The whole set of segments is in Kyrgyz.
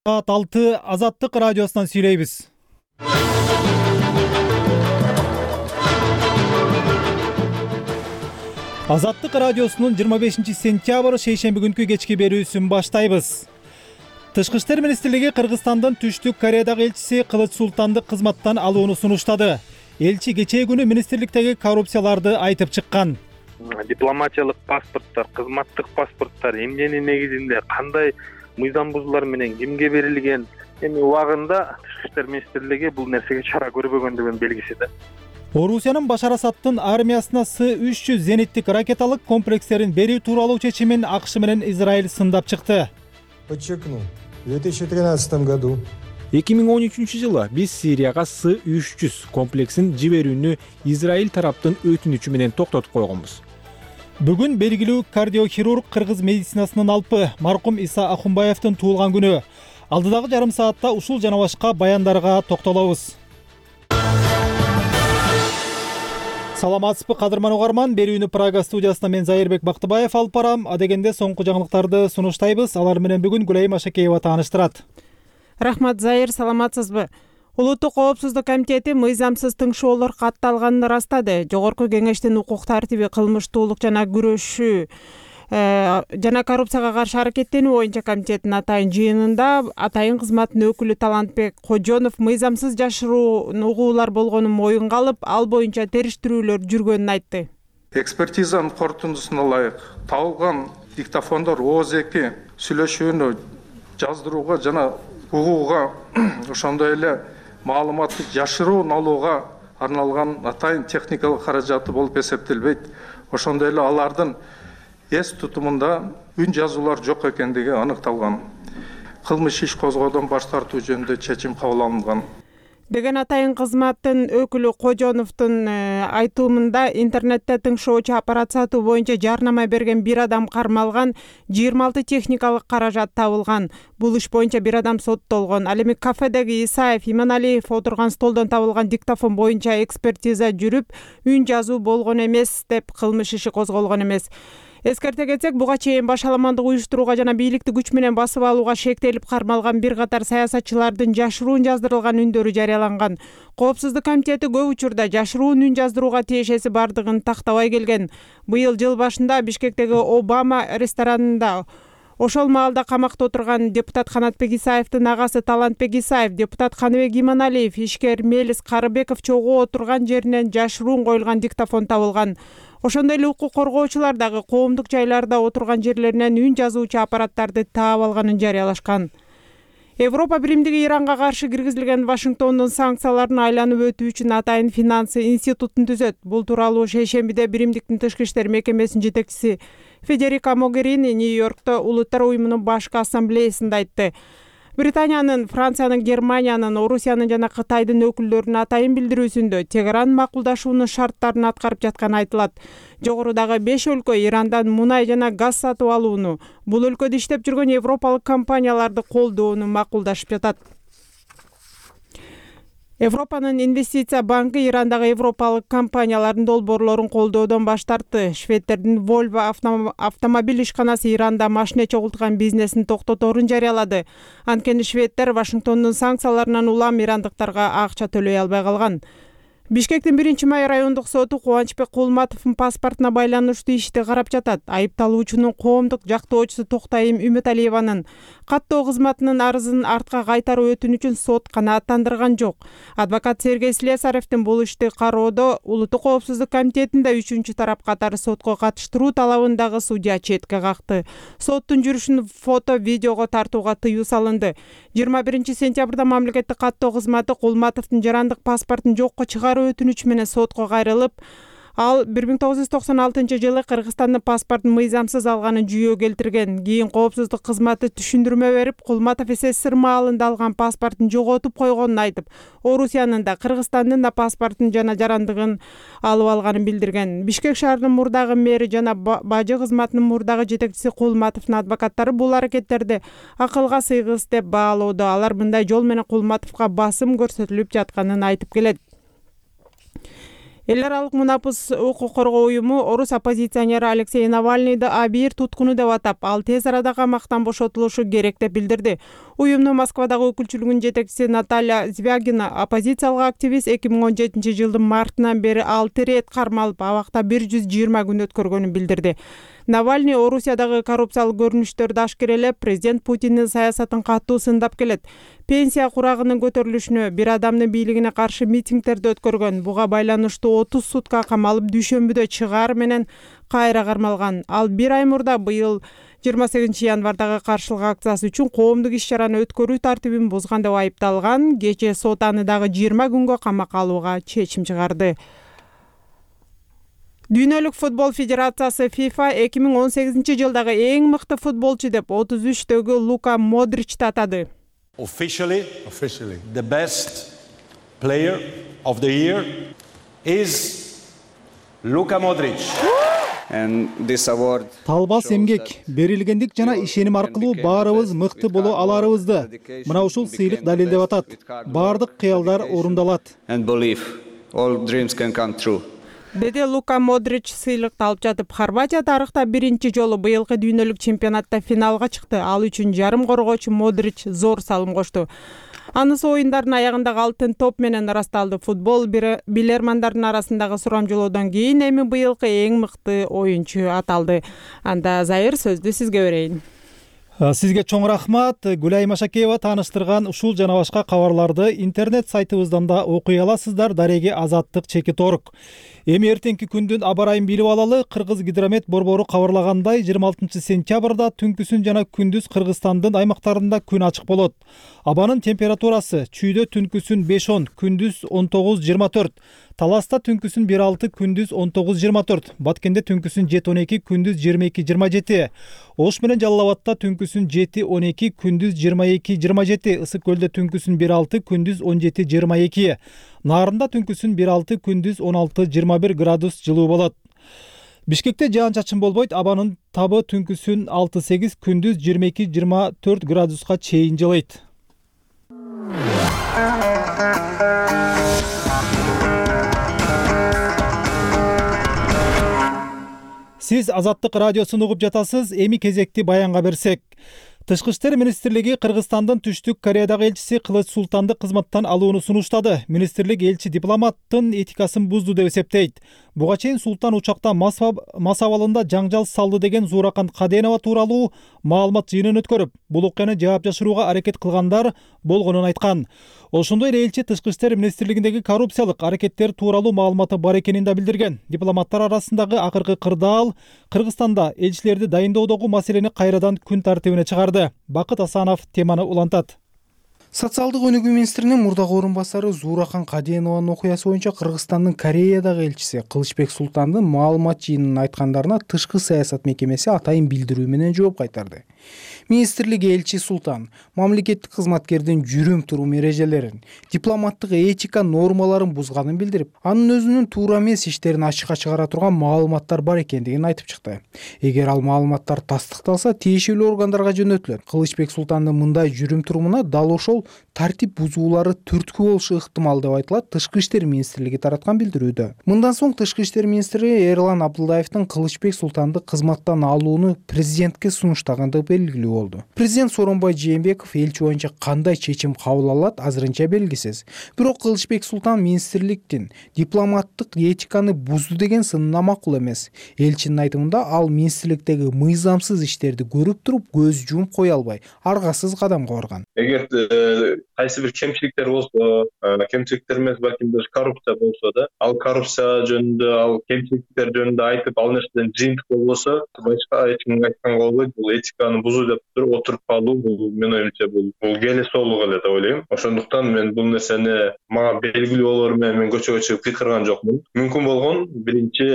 Саат 6 Азаттык радиосунан сүйлөйбүз. Азаттык радиосунун 25 сентябрь шейшемби күнкү кечки берүүсүн баштайбыз. Тышкы иштер министрлиги Кыргызстандын Түштүк Кореядагы элчиси Кылыч Султанды кызматтан алууну сунуштады. Элчи кечээ күнү министрликтеги коррупцияларды айтып чыккан. Дипломатиялык паспорттор, кызматтык паспорттор эмненин негизинде кандай мыйзам бузуулар менен кимге берилген, эми убагында Тышкы иштер министрлиги бул нерсеге чара көрбөгөндүгүнүн белгиси да. Орусиянын Башар Асаддын армиясына С-300 зениттик ракеталык комплекстерин берүү тууралуу чечимин АКШ менен Израиль сындап чыкты. Подчеркну, в 2013 году 2013-жылы биз Сирияга С-300 комплексин жиберүүнү Израиль тараптын өтүнүчү менен токтотуп койгонбуз. Бүгүн белгилүү кардиохирург кыргыз медицинасынын алпы маркум Иса Ахунбаевдин туулган күнү. Алдыдагы жарым саатта ушул жана башка баяндарга токтолобуз. Саламатсызбы кадырман угарман, берүүнү Прага студиясында мен Зайырбек Бактыбаев алып барам. Адегенде соңку жаңылыктарды сунуштайбыз. Алар менен бүгүн Гүлайым Ашакеева тааныштырат. Рахмат, Зайыр, саламатсызбы? Улуттук коопсуздук комитети мыйзамсыз тыңшоолор катталганын ырастады. Жогорку кеңештин укук тартиби, кылмыштуулук жана күрөшүү жана коррупцияга каршы аракеттенүү боюнча комитеттин атайын жыйынында атайын кызматтын өкүлү Талантбек Кожонов мыйзамсыз жашыруу угуулар болгонун моюнга алып, ал боюнча териштирүүлөр жүргөнүн айтты. Экспертизанын корутундусуна ылайык табылган диктофондор ооз-2 сүйлөшүүнү жаздырууга жана угууга, ошондой эле маалыматты жашыруун алууга арналган атайын техникалык каражаты болуп эсептелбейт. Ошондой эле алардын эс тутумунда үн жазуулар жок экендиги аныкталган. Кылмыш иш козгоодон баш тартуу жөнүндө чечим кабыл алынган деген атайын кызматтын өкүлү Кожоновдун айтымында интернетте тыңшоочу аппарат сатуу боюнча жарнама берген бир адам кармалган, 26 техникалык каражат табылган. Бул иш боюнча бир адам соттолгон. Ал эми кафедеги Исаев, Иманалиев отурган столдон табылган диктофон боюнча экспертиза жүрүп, үн жазуу болгон эмес деп кылмыш иши козголгон эмес. Эскерте кетсек, буга чейин башаламандык уюштурууга жана бийликти күч менен басып алууга шектелип кармалган бир катар саясатчылардын жашыруун жаздырылган үндөрү жарыяланган. Коопсуздук комитети көп учурда жашыруун үн жаздырууга тиешеси бардыгын тактабай келген. Быйыл жыл башында Бишкектеги Обама ресторанында ошол маалда камакта отурган депутат Канатбек Исаевдин агасы Талантбек Исаев, депутат Каныбек Иманалиев, ишкер Мелис Карыбеков чогуу отурган жеринен жашыруун коюлган диктофон табылган. Ошондой эле укук коргоочулар дагы коомдук жайларда отурган жерлеринен үн жазуучу аппараттарды таап алганын жарыялашкан. Европа биримдиги Иранга каршы киргизилген Вашингтондун санкцияларын айланып өтүү үчүн атайын финансы институтун түзөт. Бул тууралуу шейшембиде биримдиктин тышкы иштер мекемесинин жетекчиси Федерика Могерини Нью-Йоркто Улуттар уюмунун башкы ассамблеясында айтты. Британиянын, Франциянын, Германиянын, Орусиянын жана Кытайдын өкүлдөрүнүн атайын билдирүүсүндө Тегеран макулдашуунун шарттарын аткарып жатканы айтылат. Жогорудагы 5 өлкө Ирандан мунай жана газ сатып алууну, бул өлкөдө иштеп жүргөн европалык компанияларды колдоону макулдашып жатат. Европанын инвестиция банкы Ирандагы европалык компаниялардын долбоорлорун колдоодон баш тартты. Шведтердин Volvo автомобиль ишканасы Иранда машина чогулткан бизнесин токтоторун жарыялады. Анткени шведтер Вашингтондун санкцияларынан улам ирандыктарга акча төлөй албай калган. Бишкектин 1-май райондук соту Кубанычбек Кулматовдун паспортуна байланыштуу ишти карап жатат. Айыпталуучунун коомдук жактоочусу Токтайым Үмөталиеванын каттоо кызматынын арызын артка кайтаруу өтүнүчүн сот канааттандырган жок. Адвокат Сергей Слесаревдин бул ишти кароодо Улуттук коопсуздук комитетинде 3-чү тарап катары сотко катыштыруу талабындагы судья четке какты. Соттун жүрүшүн фото-видеого тартууга тыюу салынды. 21 сентябрда мамлекеттик каттоо кызматы Кулматовдун жарандык паспортун жокко чыгаруу өтүнүч менен сотко кайрылып, ал 1996-жылы Кыргызстандын паспортун мыйзамсыз алганын жүйө келтирген. Кийин коопсуздук кызматы түшүндүрмө берип, Кулматов СССР маалында алган паспортун жоготуп койгонун айтып, Орусиянын да Кыргызстандын да паспортун жана жарандыгын алып алганын билдирген. Бишкек шаарынын мурдагы мэри жана бажы кызматынын мурдагы жетекчиси Кулматовдун адвокаттары бул аракеттерди акылга сыйгыс деп баалоодо. Алар мындай жол менен Кулматовго басым көрсөтүлүп жатканын айтып келет. Эл аралык мунапыс укук коргоо уюму орус оппозиционери Алексей Навальныйды абийир туткуну деп атап, ал тез арада камактан бошотулушу керек деп билдирди. Уюмдун Москвадагы өкүлчүлүгүнүн жетекчиси Наталья Звягина оппозициялык активист 2017 жылдын мартынан бери 6 рет кармалып, абакта 120 күн өткөргөнүн билдирди. Навальный Орусиядагы коррупциялык көрүнүштөрдү ашкерелеп, президент Путиндин саясатын катуу сындап келет. Пенсия курагынын көтөрүлүшүнө, бир адамдын бийлигине каршы митингдерди өткөргөн, буга байланыштуу 30 сутка камалып, дүйшөмбүдө чыгаар менен кайра кармалган. Ал бир ай мурда быйыл 28 январдагы каршылык акциясы үчүн коомдук иш-чараны өткөрүү тартибин бузган деп айыпталган. Кечээ сот аны дагы 20 күнгө камакка алууга чечим чыгарды. Дүйнөлүк футбол федерациясы FIFA 2018 жылдагы эң мыкты футболчу деп 33-төгү Лука Модричти атады. Officially, the best player of the year is Luka Modric. And this award Талбас эмгек, берилгендик жана ишеним аркылуу баарыбыз мыкты боло аларыбызды мына ушул сыйлык далилдеп атат. Бардык кыялдар орундалат. and belief all dreams can come true. Деди Лука Модрич сыйлыкты алып жатып. Хорватия тарыхта биринчи жолу быйылкы дүйнөлүк чемпионатта финалга чыкты. Ал үчүн жарым коргоочу Модрич зор салым кошту. Анысы оюндардын аягындагы алтын топ менен ырасталды. Футбол билермандардын арасындагы сурамжылоодон кийин эми быйылкы эң мыкты оюнчу аталды. Анда Зайыр сөздү сизге берейин. Сизге чоң рахмат. Гүлай Машакеева тааныштырган ушул жана башка кабарларды интернет сайтыбыздан да окуй аласыздар. Дареги Азаттык /org. Эми эртеңки күндүн аба ырайын билип алалы. Кыргыз гидромет борбору кабарлагандай 26 сентябрда түнкүсүн жана күндүз Кыргызстандын аймактарында күн ачык болот. Абанын температурасы чүйдө түнкүсүн 5-10, күндүз 19-24. Таласта түнкүсүн 1-6, күндүз 19-24. Баткенде түнкүсүн 7-12, күндүз 22-27. Ош менен Жалал Абадта түнкүсүн 7-12, күндүз 22-27. Ысык көлдө түнкүсүн 1-6, күндүз 17-22. Нарында түнкүсүн 1-6, күндүз 16-21 градус жылуу болот. Бишкекте жаан-чачын болбойт. Абанын табы түнкүсүн 6-8, күндүз 22-24 градуска чейин жылыйт. Сиз Азаттык радиосун угуп жатасыз. Эми кезекти баянга берсек. Тышкы иштер министрлиги Кыргызстандын Түштүк Кореядагы элчиси Кылыч Султанды кызматтан алууну сунуштады. Министрлик элчи дипломаттын этикасын бузду деп эсептейт. Буга чейин Султан учакта мас абалында жаңжал салды деген Зууракан Каденова тууралуу маалымат жыйынын өткөрүп, бул окуяны жаап жашырууга аракет кылгандар болгонун айткан. Ошондой эле элчи Тышкы иштер министрлигиндеги коррупциялык аракеттер тууралуу маалыматы бар экенин да билдирген. Дипломаттар арасындагы акыркы кырдаал Кыргызстанда элчилерди дайындоодогу маселени кайрадан күн тартибине чыгарды. Бакыт Асанов теманы улантат. Социалдык өнүгүү министринин мурдагы орун басары Зууракан Каденованын окуясы боюнча Кыргызстандын Кореядагы элчиси Кылычбек Султандын маалымат жыйынын айткандарына тышкы саясат мекемеси атайын билдирүү менен жооп кайтарды. Министрлик элчи Султан мамлекеттик кызматкердин жүрүм-турум эрежелерин, дипломаттык этика нормаларын бузганын билдирип, анын өзүнүн туура эмес иштерин ачыкка чыгара турган маалыматтар бар экендигин айтып чыкты. Эгер ал маалыматтар тастыкталса, тиешелүү органдарга жөнөтүлөт. Кылычбек Султандын мындай жүрүм-турумуна дал ошол тартип бузуулары түрткү болушу ыктымал деп айтылат Тышкы иштер министрлиги тараткан билдирүүдө. Мындан соң Тышкы иштер министри Эрлан Абдылдаевдин Кылычбек Султанды кызматтан алууну президентке сунуштаганы белгилүү болду. Президент Сооронбай Жээнбеков элчи боюнча кандай чечим кабыл алат азырынча белгисиз. Бирок Кылычбек Султан министрликтин дипломаттык этиканы бузду деген сынына макул эмес. Элчинин айтымында ал министрликтеги мыйзамсыз иштерди көрүп туруп көз жумуп кое албай, аргасыз кадамга барган. Эгер кайсы бир кемчиликтер болсо, кемчиликтер эмес, балким даже коррупция болсо да, ал коррупция жөнүндө, ал кемчиликтер жөнүндө айтып, ал нерседен жыйынтык болбосо, башка эч кимге айтканга болбойт. Бул этиканы бузуу деп отуруп калуу, бул менин оюмча бул келесоолук эле деп ойлойм. Ошондуктан мен бул нерсени мага белгилүү болору менен мен көчөгө чыгып кыйкырган жокмун. Мүмкүн болгон биринчи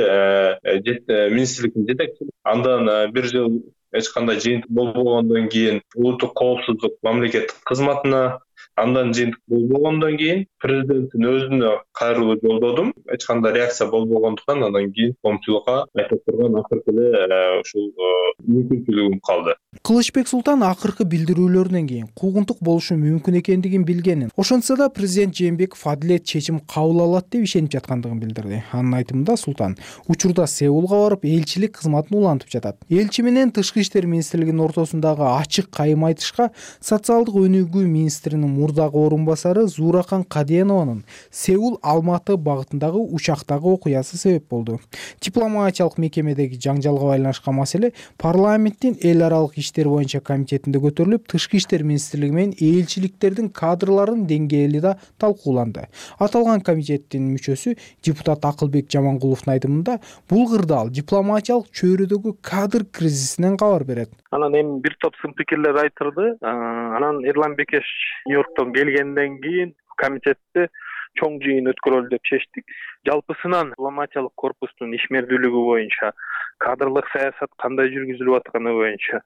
министрликтин жетекчиси, андан бир жыл эч кандай жыйынтык болбогондон кийин улуттук коопсуздук мамлекеттик кызматына Андан жыйынтык болбогондон кийин президенттин өзүнө кайрылуу жолдодум. Эч кандай реакция болбогондуктан андан кийин коомчулукка айтып турган акыркы эле ушул мүмкүнчүлүгүм калды. Кылычбек Султан акыркы билдирүүлөрүнөн кийин куугунтук болушу мүмкүн экендигин билгенин, ошентсе да президент Жээнбеков адилет чечим кабыл алат деп ишенип жаткандыгын билдирди. Анын айтымында Султан учурда Сеулга барып элчилик кызматын улантып жатат. Элчи менен Тышкы иштер министрлигинин ортосундагы ачык кайым айтышка социалдык өнүгүү министринин мурдагы орун басары Зууракан Каденованын Сеул Алматы багытындагы учактагы окуясы себеп болду. Дипломатиялык мекемедеги жаңжалга байланышкан маселе парламенттин эл аралык иштер боюнча комитетинде көтөрүлүп, Тышкы иштер министрлиги менен элчиликтердин кадрларынын деңгээли да талкууланды. Аталган комитеттин мүчөсү депутат Акылбек Жамангуловдун айтымында бул кырдаал дипломатиялык чөйрөдөгү кадр кризисинен кабар берет. Анан эми бир топ сын пикирлер айтылды. Анан Эрлан Бекеш Нью-Йорктон келгенден кийин комитетте чоң жыйын өткөрөлү деп чечтик. Жалпысынан дипломатиялык корпустун ишмердүүлүгү боюнча, кадрлык саясат кандай жүргүзүлүп атканы боюнча,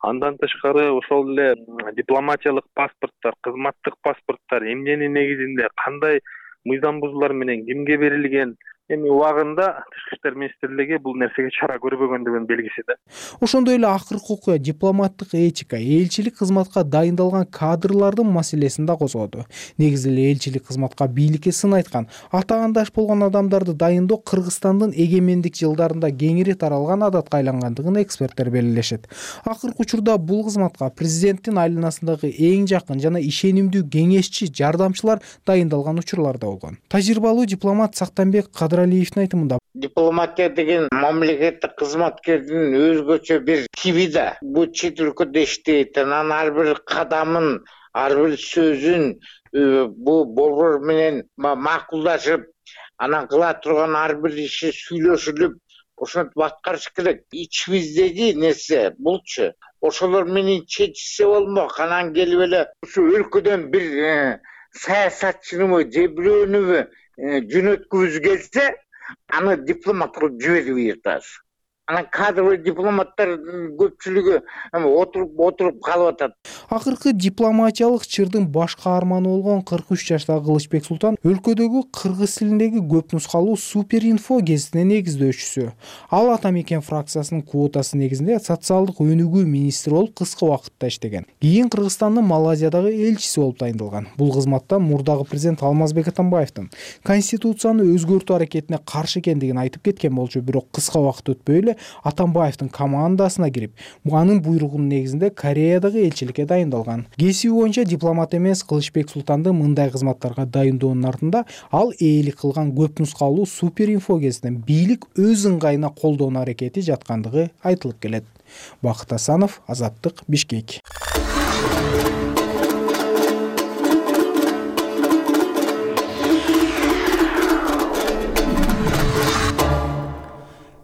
андан тышкары ошол эле дипломатиялык паспорттор, кызматтык паспорттор эмненин негизинде кандай мыйзам бузуулар менен кимге берилген, эми убагында Тышкы иштер министрлиги бул нерсеге чара көрбөгөндүгүнүн белгиси да. Ошондой эле акыркы окуя дипломаттык этика, элчилик кызматка дайындалган кадрлардын маселесин да козгоду. Негизи эле элчилик кызматка бийликке сын айткан, атаандаш болгон адамдарды дайындоо Кыргызстандын эгемендик жылдарында кеңири таралган адатка айлангандыгын эксперттер белгилешет. Акыркы учурда бул кызматка президенттин айланасындагы эң жакын жана ишенимдүү кеңешчи, жардамчылар дайындалган учурлар да болгон. Тажрыйбалуу дипломат Сактанбек Кадыралиевдин айтымында дипломатия деген мамлекеттик кызматкердин өзгөчө бир тиби да. Бул чет өлкөдө иштейт, анан ар бир кадамын, ар бир сөзүн бул борбор менен макулдашып, анан кыла турган ар бир иши сүйлөшүлүп, ошентип аткарыш керек. Ичибиздеги нерсе булчу. Ошолор менен чечилсе болмок. Анан келип эле ушу өлкөдөн бир саясатчыныбы же бирөөнүбү жөнөткүбүз келсе, аны дипломат кылып жибербейт азыр. Анан кадрлы дипломаттар көпчүлүгү отуруп калып атат. Акыркы дипломатиялык чырдын баш каарманы болгон 43 жаштагы Кылычбек Султан өлкөдөгү кыргыз тилиндеги көп нускалуу Суперинфо гезитинин негиздөөчүсү. Ал Ата мекен фракциясынын квотасы негизинде социалдык өнүгүү министри болуп кыска убакытта иштеген. Кийин Кыргызстандын Малайзиядагы элчиси болуп дайындалган. Бул кызматта мурдагы президент Алмазбек Атамбаевдин конституцияны өзгөртүү аракетине каршы экендигин айтып кеткен болчу, бирок кыска убакыт өтпөй эле Атамбаевдин командасына кирип, анын буйругунун негизинде Кореядагы элчиликке дайындалган. Кесиби боюнча дипломат эмес Кылычбек Султанды мындай кызматтарга дайындоонун артында ал ээлик кылган көп нускалуу Суперинфо гезитин бийлик өз ыңгайына колдонуу аракети жаткандыгы айтылып келет. Бакыт Асанов, Азаттык, Бишкек.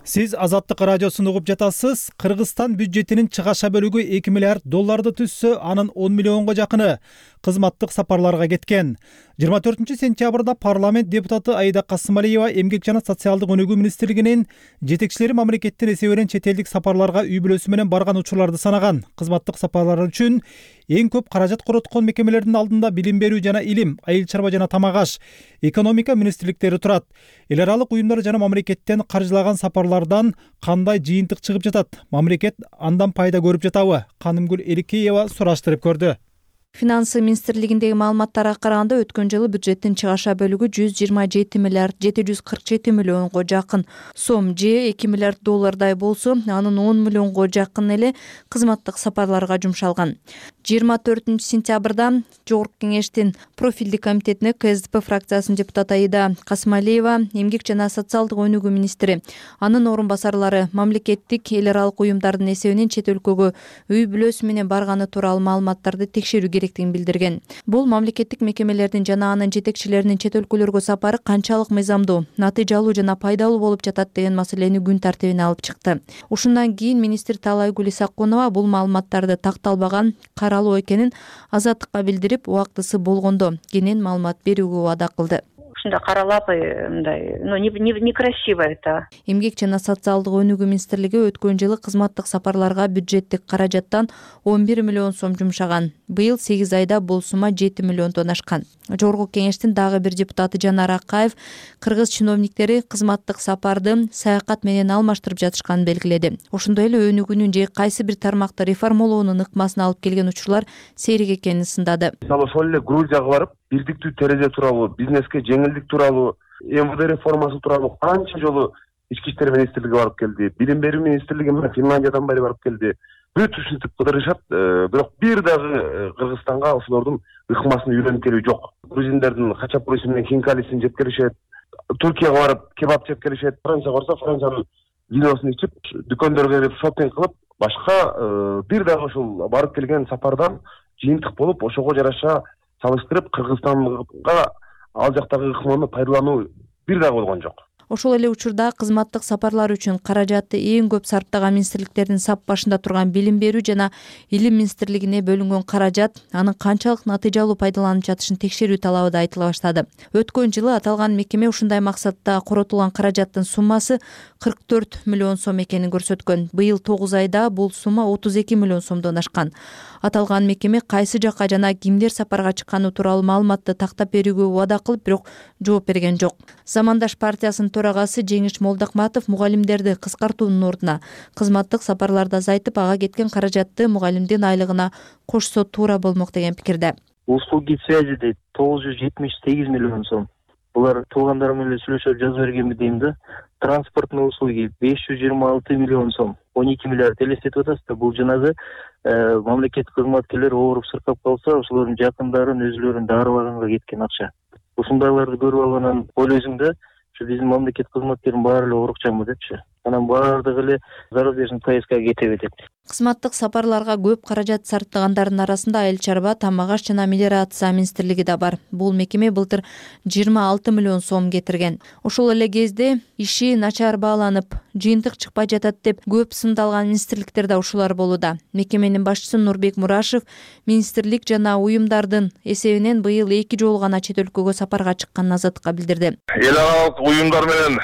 Сиз Азаттык радиосун угуп жатасыз. Кыргызстан бюджетинин чыгаша бөлүгү 2 миллиард долларды түзсө, анын 10 миллионго жакыны кызматтык сапарларга кеткен. 24-сентябрда парламент депутаты Аида Касымалиева Эмгек жана социалдык өнүгүү министрлигинин жетекчилери мамлекеттин эсебинен чет элдик сапарларга үй бүлөсү менен барган учурларды санаган. Кызматтык сапарлар үчүн эң көп каражат короткон мекемелердин алдында билим берүү жана илим, айыл чарба жана тамак аш, экономика министрликтери турат. Эл аралык уюмдар жана мамлекеттен каржылаган сапарлардан кандай жыйынтык чыгып жатат? Мамлекет андан пайда көрүп жатабы? Канымгүл Эликеева сураштырып көрдү. Финансы министрлигиндеги маалыматтарга караганда өткөн жылы бюджеттин чыгаша бөлүгү 127 миллиард 747 миллионго жакын сом же 2 миллиард доллардай болсо, анын 10 миллионго жакын эле кызматтык сапарларга жумшалган. 24-сентябрда Жогорку кеңештин профилдик комитетине КСДП фракциясынын депутаты Аида Касымалиева, Эмгек жана социалдык өнүгүү министри, анын орун басарлары мамлекеттик эл аралык уюмдардын эсебинен чет өлкөгө үй бүлөсү менен барганы тууралуу маалыматтарды текшерүү керектигин билдирген. Бул мамлекеттик мекемелердин жана анын жетекчилеринин чет өлкөлөргө сапары канчалык мыйзамдуу, натыйжалуу жана пайдалуу болуп жатат деген маселени күн тартибине алып чыкты. Ушундан кийин министр Таалайгүл Исакунова бул маалыматтарды такталбаган, каралуу экенин Азаттыкка билдирип, убактысы болгондо кенен маалымат берүүгө убада кылды. ушундай каралап мындай некрасиво это. Эмгек жана социалдык өнүгүү министрлиги өткөн жылы кызматтык сапарларга бюджеттик каражаттан 11 миллион сом жумшаган. Быйыл 8 айда бул сумма 7 миллиондон ашкан. Жогорку кеңештин дагы бир депутаты Жанар Акаев кыргыз чиновниктери кызматтык сапарды саякат менен алмаштырып жатышканын белгиледи. Ошондой эле өнүгүүнүн же кайсы бир тармакты реформалоонун ыкмасын алып келген учурлар сейрек экенин сындады. Мисалы ошол эле Грузияга барып, бирдиктүү терезе тууралуу, бизнеске жеңилдик тууралуу, МВД реформасы тууралуу канча жолу ички иштер министрлиги барып келди, билим берүү министрлиги менен Финляндиядан бери барып келди. Бүт ушинтип кыдырышат, бирок бир дагы Кыргызстанга ошолордун ыкмасын үйрөнүп келүү жок. Грузиндердин хачапурisi менен хинкалисин жеп келишет. Туркияга барып кебаб жеп келишет. Францияга барса Франциянын виносун ичип, дүкөндөргө кирип шопинг кылып, башка бир дагы ушул барып келген сапардан жыйынтык болуп, ошого жараша салыштырып Кыргызстанга ал жактагы ыкманы пайдалануу бир дагы болгон жок. Ошол эле учурда кызматтык сапарлар үчүн каражатты эң көп сарптаган министрликтердин сап башында турган билим берүү жана илим министрлигине бөлүнгөн каражат анын канчалык натыйжалуу пайдаланып жатышын текшерүү талабы да айтыла баштады. Өткөн жылы аталган мекеме ушундай максатта коротулган каражаттын суммасы 44 миллион сом экенин көрсөткөн. Быйыл 9 айда бул сумма 32 миллион сомдон ашкан. Аталган мекеме кайсы жакка жана кимдер сапарга чыкканы тууралуу маалыматты тактап берүүгө убада кылып, бирок жооп берген жок. Замандаш партиясынын төрагасы Жеңиш Молдокматов мугалимдерди кыскартуунун ордуна кызматтык сапарларды азайтып, ага кеткен каражатты мугалимдин айлыгына кошсо туура болмок деген пикирде. Услуги связи дейт 978 миллион сом. Булар туугандарым менен сүйлөшүп жазып бергенби дейм да. Транспортный услуги 526 миллион сом. 12 миллиард элестетип атасыз да. Бул жанагы мамлекеттик кызматкерлер ооруп сыркап калса, ошолордун жакындарын өзүлөрүн дарылаганга кеткен акча. Ушундайларды көрүп алгандан ойлойсуң да, биздин мамлекет кызматкерин баары эле оорукчанбы депчи. Анан баардыгы эле зарубежный поездкага кетеби деп. Кызматтык сапарларга көп каражат сарптагандардын арасында айыл чарба, тамак аш жана мелиорация министрлиги да бар. Бул мекеме былтыр 26 миллион сом кетирген. Ошол эле кезде иши начар бааланып, жыйынтык чыкпай жатат деп көп сындалган министрликтер да ушулар болууда. Мекеменин башчысы Нурбек Мурашев министрлик жана уюмдардын эсебинен быйыл 2 жолу гана чет өлкөгө сапарга чыкканын Азаттыкка билдирди. Эл аралык уюмдар менен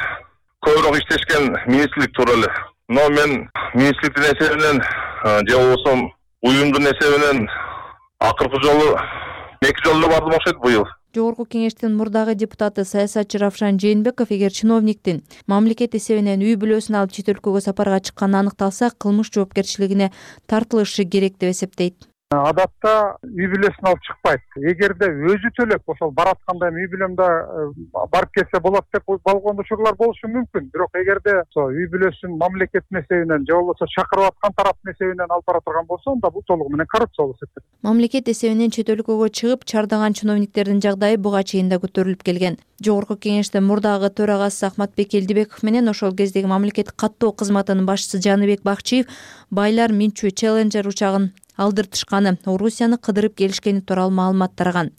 көбүрөөк иштешкен министрлик тууралуу. Но мен министрликтин эсебинен же болбосо уюмдун эсебинен акыркы жолу 2 жолу бардым окшойт быйыл. Жогорку кеңештин мурдагы депутаты саясатчы Равшан Жээнбеков эгер чиновниктин мамлекет эсебинен үй бүлөсүн алып чет өлкөгө сапарга чыкканы аныкталса, кылмыш жоопкерчилигине тартылышы керек деп эсептейт. Адатта үй бүлөсүн алып чыкпайт. Эгерде өзү төлөп, ошол баратканда үй бүлөмдө барып келсе болот деп болгон учурлар болушу мүмкүн. Бирок эгерде үй бүлөсүн мамлекеттин эсебинен же болбосо чакырып аткан тараптын эсебинен алып бара турган болсо, анда бул толугу менен коррупция болуп эсептелет. Мамлекет эсебинен чет өлкөгө чыгып чардаган чиновниктердин жагдайы буга чейин да көтөрүлүп келген. Жогорку кеңештин мурдагы төрагасы Ахматбек Элдибеков менен ошол кездеги мамлекеттик каттоо кызматынын башчысы Жаныбек Бакчиев байлар Минчу Challenger учагын алдыртышканы, Орусияны кыдырып келишкени тууралуу маалымат тараган.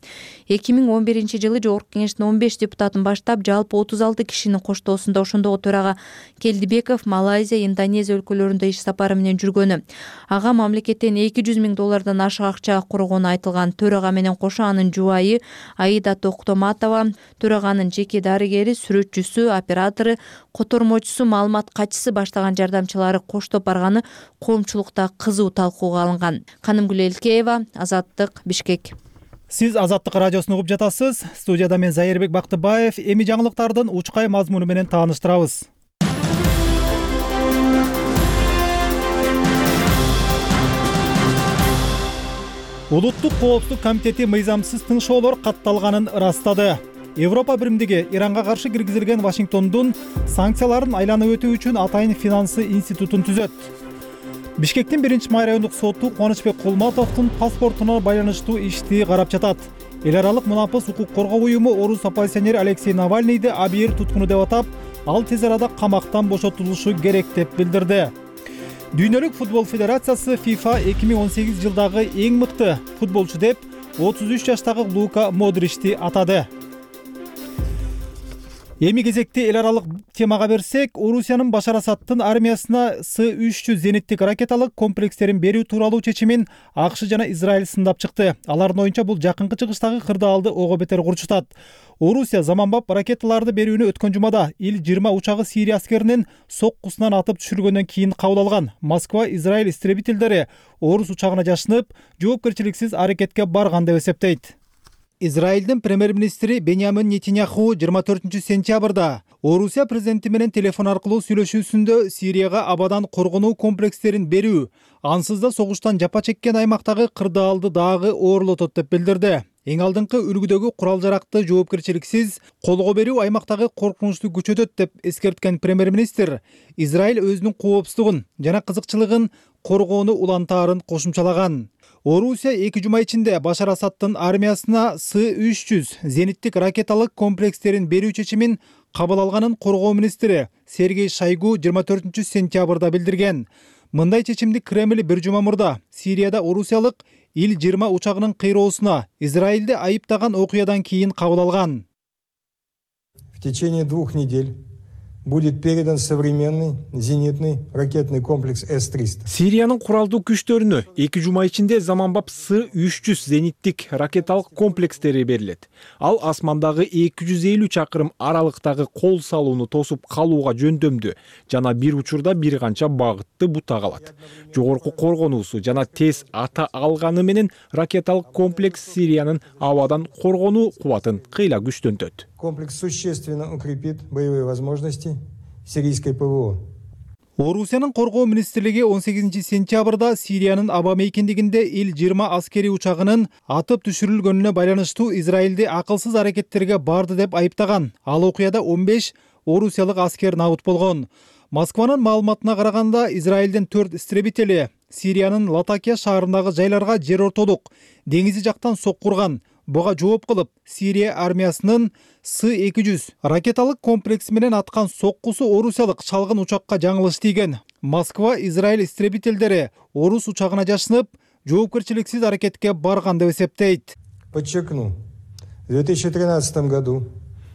2011-жылы Жогорку кеңештин 15 депутатын баштап, жалпы 36 кишинин коштоосунда ошондогу төрага Келдибеков Малайзия, Индонезия өлкөлөрүндө иш сапары менен жүргөнү. Ага мамлекеттен 200 миң доллардан ашык акча коргону айтылган. Төрага менен кошо анын жубайы Аида Токтоматова, төраганын жеке дарыгери, сүрөтчүсү, оператору, котормочусу, маалымат катчысы баштаган жардамчылары коштоп барганы коомчулукта кызуу талкууга алынган. Канымгүл Элкеева, Азаттык, Бишкек. Сиз Азаттык радиосун угуп жатасыз. Студияда мен Зайырбек Бактыбаев. Эми жаңылыктардын учкай мазмуну менен тааныштырабыз. Улуттук коопсуздук комитети мыйзамсыз тыншоолор катталганын ырастады. Европа биримдиги Иранга каршы киргизилген Вашингтондун санкцияларын айланып өтүү үчүн атайын финансы институтун түзөт. Бишкектин 1-май райондук соту Кубанычбек Кулматовдун паспортуна байланыштуу ишти карап жатат. Эл аралык мунапыс укук коргоо уюму орус оппозиционери Алексей Навальныйды абийир туткуну деп атап, ал тез арада камактан бошотулушу керек деп билдирди. Дүйнөлүк футбол федерациясы FIFA 2018 жылдагы эң мыкты футболчу деп 33 жаштагы Лука Модричти атады. Эми кезекти эл аралык темага берсек, Орусиянын Башар Асаддын армиясына С-300 зениттик ракеталык комплекстерин берүү тууралуу чечимин АКШ жана Израиль сындап чыкты. Алардын оюнча бул жакынкы чыгыштагы кырдаалды ого бетер курчутат. Орусия заманбап ракеталарды берүүнү өткөн жумада Ил-20 учагы Сирия аскеринин соккусунан атып түшүрүлгөндөн кийин кабыл алган. Москва Израиль истребительдери орус учагына жашынып, жоопкерчиликсиз аракетке барган деп эсептейт. Израилдин премьер-министри Беньямин Нетаньяху 24 сентябрда Орусия президенти менен телефон аркылуу сүйлөшүүсүндө Сирияга абадан коргонуу комплекстерин берүү, ансыз да согуштан жапа чеккен аймактагы кырдаалды дагы оорлотот деп билдирди. Эң алдыңкы үлгүдөгү курал-жаракты жоопкерчиликсиз колго берүү аймактагы коркунучту күчөтөт деп эскерткен премьер-министр Израиль өзүнүн коопсуздугун жана кызыкчылыгын коргоону улантаарын кошумчалаган. Орусия 2 жума ичинде Башар Асаддын армиясына С-300 зениттик ракеталык комплекстерин берүү чечимин кабыл алганын коргоо министри Сергей Шойгу 24 сентябрда билдирген. Мындай чечимди Кремль 1 жума мурда Сирияда орусиялык Ил-20 учагынын кыйроосуна Израилди айыптаган окуядан кийин кабыл алган. В течение 2 недель будет передан современный зенитный ракетный комплекс С-300. Сириянын куралдуу күчтөрүнө 2 жума ичинде заманбап С-300 зениттик ракеталык комплекстери берилет. Ал асмандагы 250 чакырым аралыктагы кол салууну тосуп калууга жөндөмдүү жана бир учурда бир канча багытты бутак алат. Жогорку коргонуусу жана тез ата алганы менен ракеталык комплекс Сириянын абадан коргонуу кубатын кыйла күчтөнтөт. Комплекс существенно укрепит боевые возможности сирийской ПВО. Орусиянын коргоо министрлиги 18 сентябрда Сириянын аба мейкиндигинде Ил-20 аскери учагынын атып түшүрүлгөнүнө байланыштуу Израилди акылсыз аракеттерге барды деп айыптаган. Ал окуяда 15 орусиялык аскер набыт болгон. Москванын маалыматына караганда Израилдин 4 истребители Сириянын Латакия шаарындагы жайларга жер ортолук деңизи жактан соккурган. Буга жооп кылып, Сирия армиясынын С-200 ракеталык комплекси менен аткан соккусу орусиялык чалгын учакка жаңылыш тийген. Москва Израиль истребительдери орус учагына жашынып, жоопкерчиликсиз аракетке барган деп эсептейт. Подчеркну, в 2013 году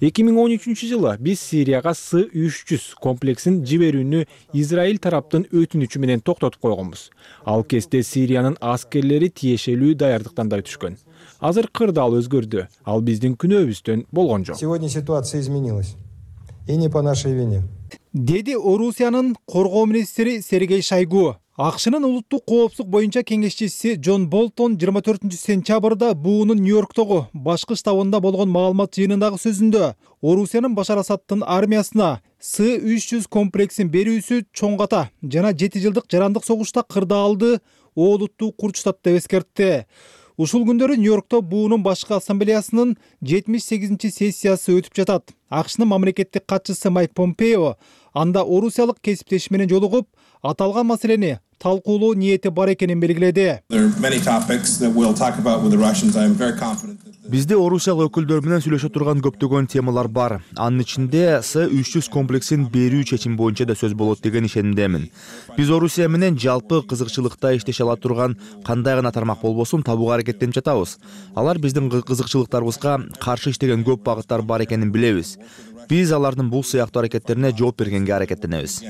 2013-жылы биз Сирияга С-300 комплексин жиберүүнү Израиль тараптын өтүнүчү менен токтотуп койгонбуз. Ал кезде Сириянын аскерлери тиешелүү даярдыктан да өтүшкөн. Азыр кырдаал өзгөрдү. Ал биздин күнөөбүздөн болгон жок. Сегодня ситуация изменилась. И не по нашей вине. Деди Орусиянын коргоо министри Сергей Шойгу. АКШнын улуттук коопсуздук боюнча кеңешчиси Джон Болтон 24 сентябрда буунун Нью-Йорктогу башкы штабында болгон маалымат жыйынындагы сөзүндө Орусиянын Башар Асаддын армиясына С-300 комплексин берүүсү чоң ката жана 7 жылдык жарандык согушта кырдаалды оолуттуу курчутат деп эскертти. Ушул күндөрү Нью-Йоркто буунун башкы ассамблеясынын 78-сессиясы өтүп жатат. АКШнын мамлекеттик катчысы Майк Помпео анда орусиялык кесиптеши менен жолугуп, аталган маселени талкуулоо ниети бар экенин белгиледи. Бизде орусиялык өкүлдөр менен сүйлөшө турган көптөгөн темалар бар. Анын ичинде С-300 комплексин берүү чечим боюнча да сөз болот деген ишенимдемин. Биз Орусия менен жалпы кызыкчылыкта иштеше ала турган кандай гана тармак болбосун табууга аракеттенип жатабыз. Алар биздин кызыкчылыктарыбызга каршы иштеген көп багыттар бар экенин билебиз. Биз алардын бул сыяктуу аракеттерине жооп бергенге аракеттенебиз.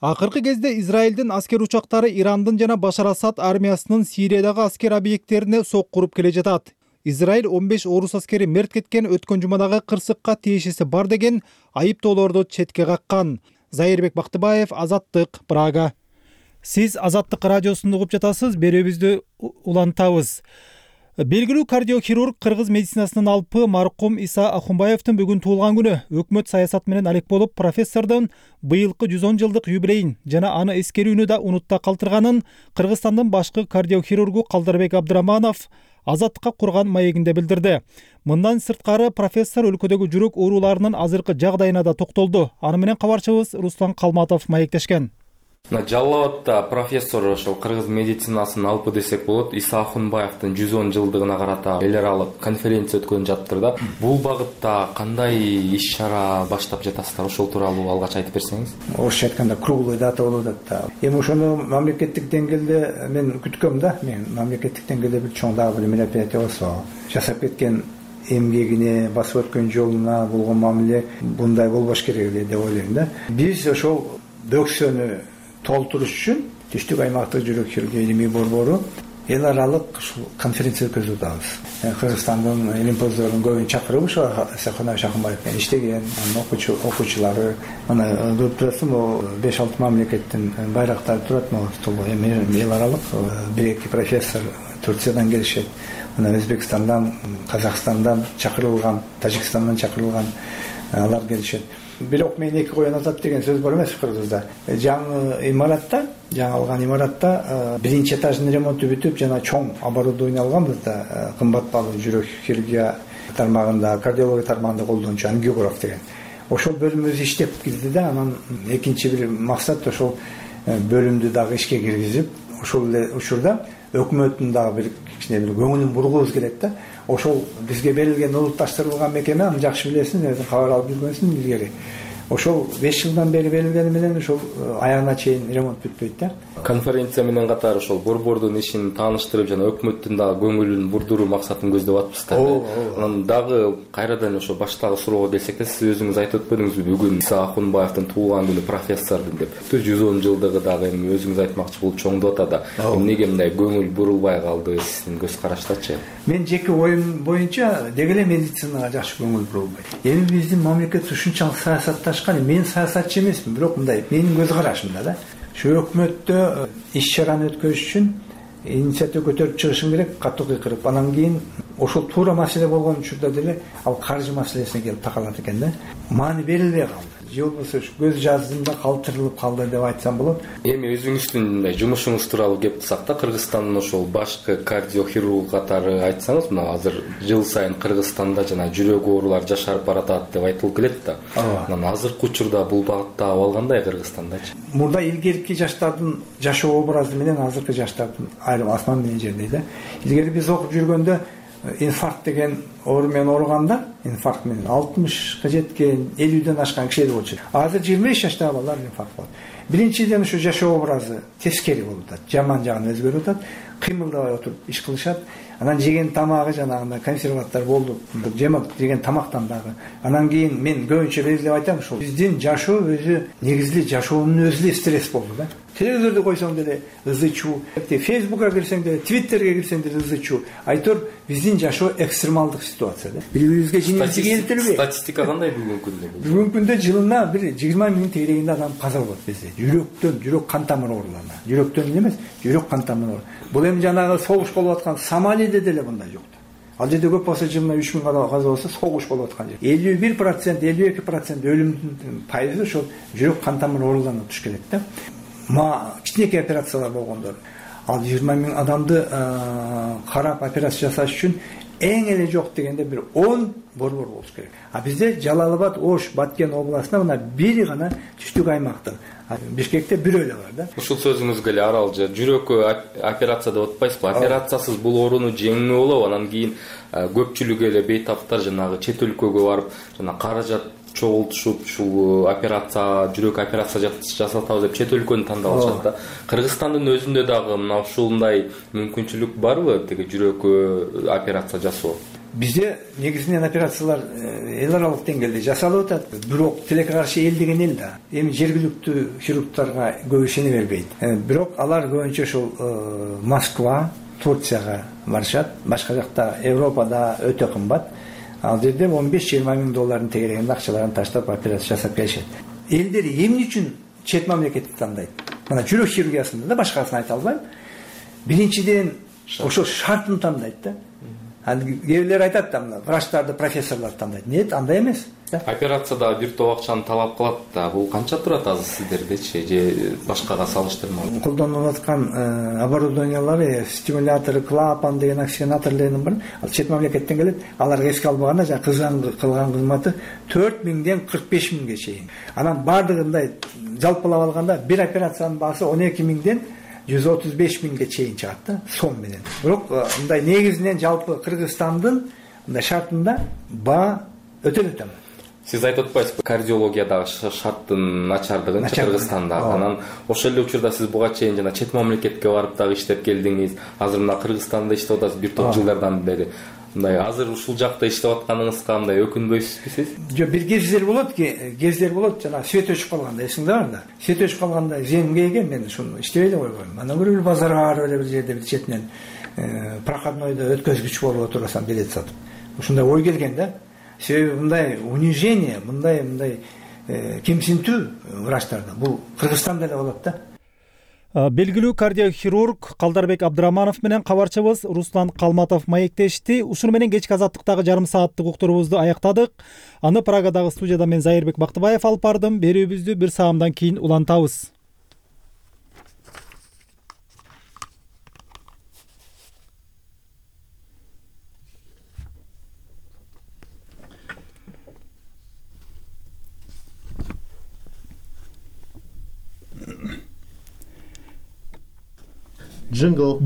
Акыркы кезде Израилдин аскер учактары Ирандын жана Башар Асад армиясынын Сириядагы аскер объекттерине соккуруп келе жатат. Израиль 15 орус аскери мерт кеткен өткөн жумадагы кырсыкка тиешеси бар деген айыптоолорду четке каккан. Зайырбек Бактыбаев, Азаттык, Прага. Сиз Азаттык радиосунду угуп жатасыз, берүүбүздү улантабыз. Белгилүү кардиохирург кыргыз медицинасынын алпы маркум Иса Ахунбаевдин бүгүн туулган күнү. Өкмөт саясат менен алек болуп, профессордун быйылкы 110 жылдык юбилейин жана аны эскерүүнү да унутта калтырганын Кыргызстандын башкы кардиохирургу Калдарбек Абдыраманов Азаттыкка курган маегинде билдирди. Мындан сырткары профессор өлкөдөгү жүрөк ооруларынын азыркы жагдайына да токтолду. Аны менен кабарчыбыз Руслан Калматов маектешкен. Жалал Абадта профессор ошол кыргыз медицинасынын алпы десек болот Иса Ахунбаевдин 110 жылдыгына карата эл аралык конференция өткөн жатыптыр да. Бул багытта кандай иш-чара баштап жатасыздар? Ошол тууралуу алгач айтып берсеңиз. Орусча айтканда круглый дата болуп атат. Эми ошону мамлекеттик деңгээлде мен күткөм да. Мен мамлекеттик деңгээлде бир чоң дагы бир мероприятие болсо, жашап кеткен эмгегине, басып өткөн жолуна болгон мамиле мындай болбош керек эле деп ойлойм да. Биз ошол дөксөнү толтуруш үчүн түштүк аймактык жүрөк хирургия илимий борбору эл аралык ушул конференция өткөзүп атабыз. Кыргызстандын илимпоздорунун көбүн чакырып ушул Сахана Шахымбаев менен иштеген анын окуучулары мына көрүп турасың, могу 5-6 мамлекеттин байрактары турат, могу столго эми эл аралык 1-2 профессор Турциядан келишет. Мына Өзбекстандан, Казакстандан чакырылган, Тажикстандан чакырылган алар келишет. Бирок мен эки коюн атат деген сөз бар эмес кыргызда. Жаңы имаратта, жаңы алган имаратта биринчи этаждын ремонту бүтүп, жана чоң оборудование алганбыз да, кымбат баалуу жүрөк хирургия тармагында, кардиология тармагында колдончу ангиограф деген. Ошол бөлүм өзү иштеп кирди да, анан экинчи бир максат ошол бөлүмдү дагы ишке киргизип, ошол эле учурда өкмөттүн дагы бир кичине бир көңүлүн бургубуз келет да. Ошол бизге берилген улутташтырылган мекеме, аны жакшы билесиң, кабар алып жүргөнсүң илгери. Ошол 5 жылдан бери берилгени менен ошол аягына чейин ремонт бүтпөйт да. Конференция менен катар ошол борбордун ишин тааныштырып жана өкмөттүн дагы көңүлүн бурдуруу максатын көздөп атпыздар. Анан дагы кайрадан ошо баштагы суроого келсек да, сиз өзүңүз айтып өтпөдүңүзбү, бүгүн Иса Ахунбаевдин туулган күнү, профессордун деп. 110 жылдыгы дагы эми өзүңүз айтмакчы болуп чоңдоп атат да. Эмнеге мындай көңүл бурулбай калды, сиздин көз караштачы? Мен жеке оюм боюнча деги эле медицинага жакшы көңүл бурулбайт. Эми биздин мамлекет ушунчалык саясатташкан, мен саясатчы эмесмин, бирок мындай менин көз карашымда да. Şu өкмөттө иш чараны өткөрүш үчүн инициатива көтөрүп чыгышың керек, катуу кыйкырып. Анан кийин ошол туура маселе болгон учурда деле ал каржы маселесине келип такалат экен да. Маани берилбей калды. Же болбосо көз жаздымда калтырылып калды деп айтсам болот. Эми өзүңүздүн мындай жумушуңуз тууралуу кеп турсак да, Кыргызстандын ошол башкы кардиохирург катары айтсаңыз, мына азыр жыл сайын Кыргызстанда жана жүрөк оорулары жашарып баратат деп айтылып келет да. Анан азыркы учурда бул багытта абал кандай Кыргызстандачы? Мурда илгерки жаштардын жашоо образы менен азыркы жаштардын айрым асман менен жердей да. Илгери биз окуп жүргөндө инфаркт деген оору менен ооруганда, инфаркт менен 60га жеткен, 50ден ашкан кишилер болчу. Азыр 25 жаштагы балдар инфаркт болот. Биринчиден ушу жашоо образы тескери болуп атат, жаман жагына өзгөрүп атат, кыймылдабай отуруп иш кылышат. Анан жеген тамагы жанагындай консерваттар болду, жемак жеген тамактан дагы. Анан кийин мен көбүнчө белгилеп айтам, ушул биздин жашоо өзү негизли жашоонун өзү эле стресс болду да. Телевизорду койсоң деле ызы чуу, Фейсбукка кирсең деле, Твиттерге кирсең деле ызы чуу. Айтор биздин жашоо экстремалдык ситуация да. Бири-бирибизге жинибизди келтирбей. Статистика кандай бүгүнкү күндө? Бүгүнкү күндө жылына бир 20 миң тегерегинде адам каза болот бизде. Жүрөктөн, жүрөк кан тамыр ооруларына. Жүрөктөн эмес, жүрөк кан тамыр оору. Бул эми жанагы согуш болуп аткан Сомалиде деле мындай жок. Ал жерде көп болсо жылына 3 миң адам каза болсо согуш болуп аткан жер. 51%, 52% өлүмдүн пайызы ошол жүрөк кан тамыр ооруларына туш келет да. Кичинекей операциялар болгондор. Ал 20 миң адамды карап операция жасаш үчүн эң эле жок дегенде бир 10 борбор болуш керек. А бизде Жалал-Абад, Ош, Баткен областында мына бири гана түштүк аймактын. Бишкекте бирөө эле бар да. Ушул сөзүңүзгө эле аралжы жүрөккө операция деп атпайсызбы? Операциясыз бул ооруну жеңүү болобу? Анан кийин көпчүлүгү эле бейтаптар жанагы чет өлкөгө барып, жана каражат чогултушуп ушул операция, жүрөк операция жасатабыз деп чет өлкөнү тандап алышат да. Кыргызстандын өзүндө дагы мына ушундай мүмкүнчүлүк барбы, теги жүрөккө операция жасоо? Бизде негизинен операциялар эл аралык деңгээлде жасалып атат. Бирок тилекке каршы эл деген эл да. Эми жергиликтүү хирургтарга көп ишене бербейт. Бирок алар көбүнчө ошол Москва, Турцияга барышат. Башка жакта Европада өтө кымбат. Ал жерде 15-20 миң доллардын тегерегинде акчаларын таштап операция жасап келишет. Элдер эмне үчүн чет мамлекетти тандайт? Мына жүрөк хирургиясында да башкасын айта албайм. Биринчиден ошол шартын тандайт да. Кээбирлер айтат да, мына врачтарды, профессорлорду тандайт. Нет, андай эмес. Операцияда бир топ акчаны талап кылат да. Бул канча турат азыр сиздергечи же башкага салыштырмалуу? Колдонулуп аткан оборудованиялары, стимулятору, клапан деген оксигенаторлордун бар. Ал чет мамлекеттен келет. Аларга эске албаганда жана кылган кызматы 4 миңден 45 миңге чейин. Анан бардыгындай жалпылап алганда бир операциянын баасы 12 миңден 135 миңге чейин чыгат да, сом менен. Бирок мындай негизинен жалпы Кыргызстандын мындай шартында баа өтө эле төмөн. Сиз айтып атпайсызбы, кардиологиядагы шарттын начардыгын Кыргызстанда. Анан ошол эле учурда сиз буга чейин жана чет мамлекетке барып дагы иштеп келдиңиз. Азыр мына Кыргызстанда иштеп атасыз бир топ жылдардан бери. мындай азыр ушул жакта иштеп атканыңызга мындай өкүнбөйсүзбү сиз? Жок, бир кездер болот, жана свет өчүп калганда, эсиңде барда. Свет өчүп калганда земгеге мен ушуну иштебей эле койгом. Анан бир базарга барып эле бир жерде бир четинен проходнойдо өткөзгүч болуп отурасам билет сатып. Ушундай ой келген да. Себеби мындай унижение, мындай кемсинтүү врачтарда бул Кыргызстанда эле болот да. Белгилүү кардиохирург Калдарбек Абдыраманов менен кабарчыбыз Руслан Калматов маектешти. Ушуну менен кечки азаттыктагы жарым сааттык уктурубузду аяктадык. Аны Прагадагы студияда мен Зайырбек Бактыбаев алып бардым. Берүүбүздү бир саамдан кийин улантабыз. Jingle.